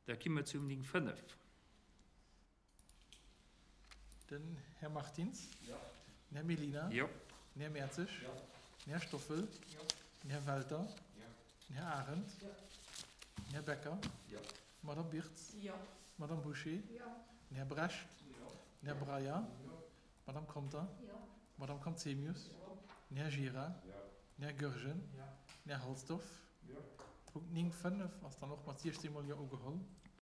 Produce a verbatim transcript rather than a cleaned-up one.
Da gi mer zum néng fënnef. Den Här Martins. Den Här Mellina. Jo. Den Här Mertzig. Den Här Stoffel. Den Här Welter. Den Här Arendt. Den Här Becker. D'Madame Birtz. D'Madame Bouché. Den Här Brecht. Den Här Breyer. D'Madame Conter. D'Madame Conzemius. Den Här Gira. Den Här Goergen. Den Här Halsdorf. Punkt néng fënnef ass dann och mat siechzéng mol Jo ugeholl.